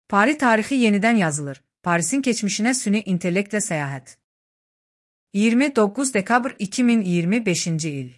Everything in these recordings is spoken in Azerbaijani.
Paris tarixi yenidən yazılır. Parisin keçmişinə süni intellektlə səyahət. 29 dekabr 2025-ci il.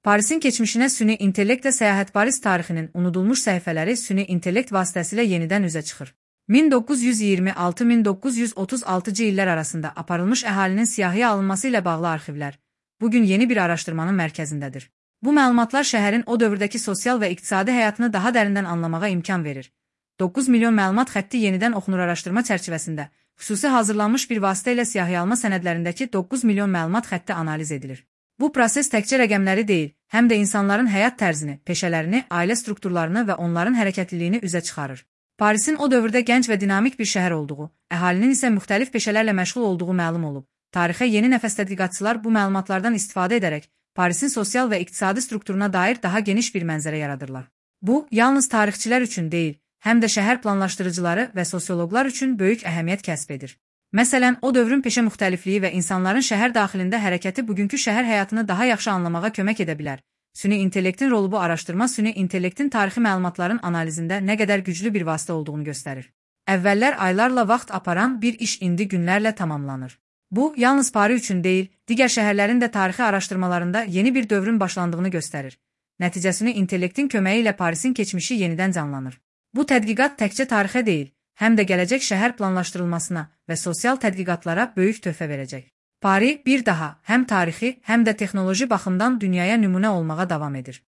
Parisin keçmişinə süni intellektlə səyahət Paris tarixinin unudulmuş səhifələri süni intellekt vasitəsilə yenidən üzə çıxır. 1926-1936-cı illər arasında aparılmış əhalinin siyahıya alınması ilə bağlı arxivlər bugün yeni bir araşdırmanın mərkəzindədir. Bu məlumatlar şəhərin o dövrdəki sosial və iqtisadi həyatını daha dərindən anlamağa imkan verir. 9 milyon məlumat xətti yenidən oxunur araşdırma çərçivəsində xüsusi hazırlanmış bir vasitə ilə siyahıya alma sənədlərindəki 9 milyon məlumat xətti analiz edilir. Bu proses təkcə rəqəmləri deyil, həm də insanların həyat tərzini, peşələrini, ailə strukturlarını və onların hərəkətliliyini üzə çıxarır. Parisin o dövrdə gənc və dinamik bir şəhər olduğu, əhalinin isə müxtəlif peşələrlə məşğul olduğu məlum olub. Tarixə yeni nəfəs tədqiqatçılar bu məlumatlardan istifadə edərək Parisin sosial və iqtisadi strukturuna dair daha geniş bir mənzərə yaradırlar. Bu, yalnız tarixçilər üçün deyil, həm də şəhər planlaşdırıcıları və sosioloqlar üçün böyük əhəmiyyət kəsb edir. Məsələn, o dövrün peşə müxtəlifliyi və insanların şəhər daxilində hərəkəti bugünkü şəhər həyatını daha yaxşı anlamağa kömək edə bilər. Süni intellektin rolu bu araşdırma süni intellektin tarixi məlumatların analizində nə qədər güclü bir vasitə olduğunu göstərir. Əvvəllər aylarla vaxt aparan bir iş indi günlərlə tamamlanır. Bu, yalnız Paris üçün deyil, digər şəhərlərin də tarixi araşdırmalarında yeni bir dövrün başlandığını göstərir. Nəticəsini intellektin köməyi ilə Parisin keçmişi yenidən canlanır. Bu tədqiqat təkcə tarixə deyil, həm də gələcək şəhər planlaşdırılmasına və sosial tədqiqatlara böyük töhfə verəcək. Paris bir daha həm tarixi, həm də texnoloji baxımdan dünyaya nümunə olmağa davam edir.